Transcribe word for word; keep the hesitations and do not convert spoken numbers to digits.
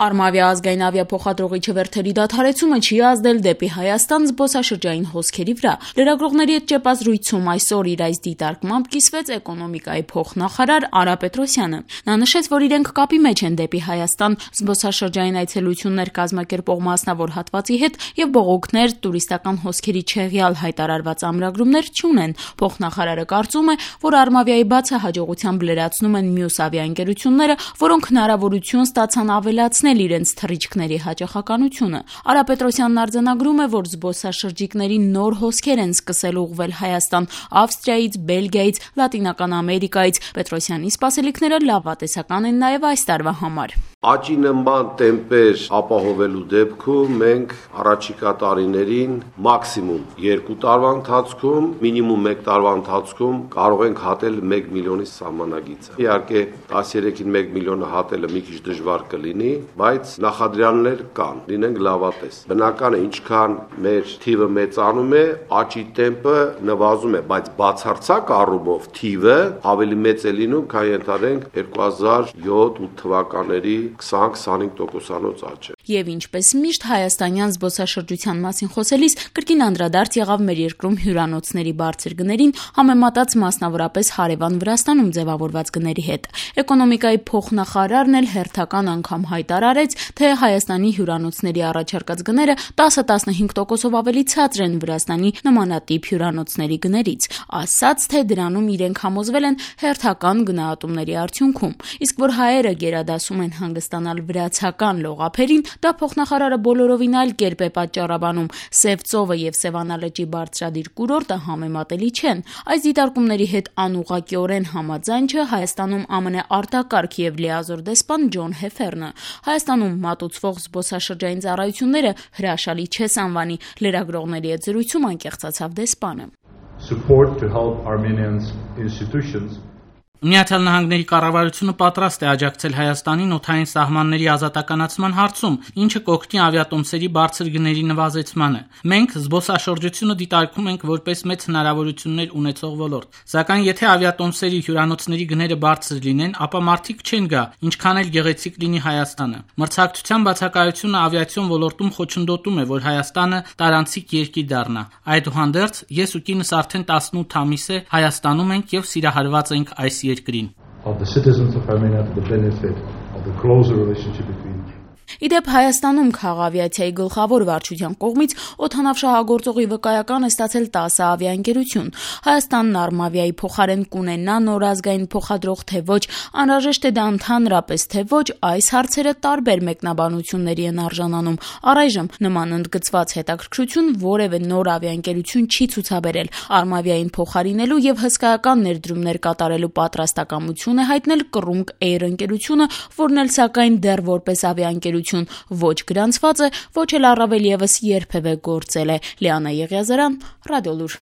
Արմավիա ազգային ավիափոխադրողի չվերթերի դադարեցումը չի ազդել դեպի Հայաստան զբոսաշրջային հոսքերի վրա։ Լրագրողների հետ ճեպազրույցում այսօր իր այս դիտարկմամբ կիսվեց էկոնոմիկայի փոխնախարար Արա Պետրոսյանը։ Նա նշեց, որ իրենք կապի մեջ են դեպի Հայաստան զբոսաշրջային այցելություններ կազմակերպող մասնավոր հատվածի հետ եւ բողոքներ, տուրիստական հոսքերի չեղյալ հայտարարված ամրագրումներ չունեն։ Փոխնախարարը կարծում է, որ Արմավիայի բացը հաջողությամբ լրացնում են մյուս ավիաընկերությունները, որոնք հնարավորություն ստացան ավելացնել իրենց թռիչքների հաճախականությունը։ Արա Պետրոսյանն արձանագրում է, որ զբոսաշրջիկների նոր հոսքեր են սկսել ուղղվել Հայաստան Ավստրիայից, Բելգիայից, Լատինական Ամերիկայից։ Պետրոսյանի սպասելիքները լավատեսական են նաև այս տարվա համար։ Աճի նման տեմպեր ապահովելու դեպքում մենք առաջիկա տարիներին մաքսիմում երկու տարվա ընթացքում, մինիմում մեկ տարվա ընթացքում կարող ենք հատել մեկ միլիոնի սահմանագիծը։ Իհարկե տասներեքին մեկ միլիոնը հատելը մի քիչ դժվար կլինի, բայց նախադրյալներ կան, լինենք լավատես։ Բնական է, ինչքան մեր թիվը մեծանում է, աճի տեմպը նվազում է, բայց բացարձակ առումով թիվը ավելի մեծ է լինում, քան ենթադրենք երկու հազար յոթ-ութ թվականների քսան-քսանհինգ տոկոսանոց աճ է։ Եվ ինչպես միշտ հայաստանյան զբոսաշրջության մասին խոսելիս կրկին անդրադարձ եղավ մեր երկրում հյուրանոցների բարձր գներին, համեմատած մասնավորապես հարևան Վրաստանում ձևավորված գների հետ։ Էկոնոմիկայի փոխնախարարն էլ հերթական անգամ հայտարարեց, թե Հայաստանի հյուրանոցների առաջարկած գները տասը-տասնհինգ տոկոսով ավելի ցածր են Վրաստանի նմանատիպ հյուրանոցների գներից, ասաց, թե դրանում իրենք համոզվել են հերթական գնահատումների արդյունքում։ Իսկ որ հայերը գերադասում են հանգստանալ վրացական լողափերին, դա փոխնախարարը բոլորովին այլ կերպ է պատճառաբանում։ Սև ծովը եւ Սևանա լճի բարձրադիր կուրորտը համեմատելի չեն։ Այս դիտարկումների հետ անուղղակիորեն համաձայն չէ Հայաստանում ԱՄՆ արտակարգ եւ լիազոր դեսպան Ջոն Հեֆերնը։ Հայաստանում մատուցվող զբոսաշրջային ծառայությունները հրաշալի չես անվանի։ Լրագրողների հետ զրույցում անկեղծացավ դեսպանը։ Support to help Armenians institutions Միացյալ Նահանգների կառավարությունը պատրաստ է աջակցել Հայաստանին օդային սահմանների ազատականացման հարցում, ինչը կօգնի ավիատոմսերի բարձր գների նվազեցմանը։ Մենք զբոսաշրջությունը դիտարկում ենք որպես մեծ հնարավորություններ ունեցող ոլորտ։ Սակայն եթե ավիատոմսերի հյուրանոցների գները բարձր լինեն, ապա մարդիկ չեն գա, ինչքան էլ գեղեցիկ լինի Հայաստանը։ Մրցակցության բացակայությունը ավիացիոն ոլորտում խոչընդոտում է, որ Հայաստանը տարանցիկ երկիր դառնա։ Այդուհանդերձ, ես ու կինս արդեն տասնութ ամիս է Հայաստանում ենք եւ սիրահարված ենք այս երկրին։ Of the citizens of Armenia to the benefit of the closer relationship between Իդեպ Հայաստանում քաղավիացիայի գլխավոր վարչության կողմից օդանավշահագործողի վկայական է ստացել տասը ավիաընկերություն։ Հայաստանն Արմավիայի փոխարեն կունենա նոր ազգային փոխադրող թե ոչ, անհրաժեշտ է դա ընդհանրապես թե ոչ, այս հարցերը տարբեր մեկնաբանությունների են արժանանում։ Առայժմ նման ընդգծված հետաքրքրություն որևէ նոր ավիաընկերություն չի ցուցաբերել։ Արմավիային փոխարինելու եւ հսկայական ներդրումներ կատարելու պատրաստակամություն է հայտնել Կռունկ Էյր ընկերությունը, որն էլ սակայն դեռ որպես ավիաընկերություն ոչ գրանցված է, ոչ էլ առավել եւս երբևէ գործել է։ Լիանա Եղիազարյան, Ռադիոլուր։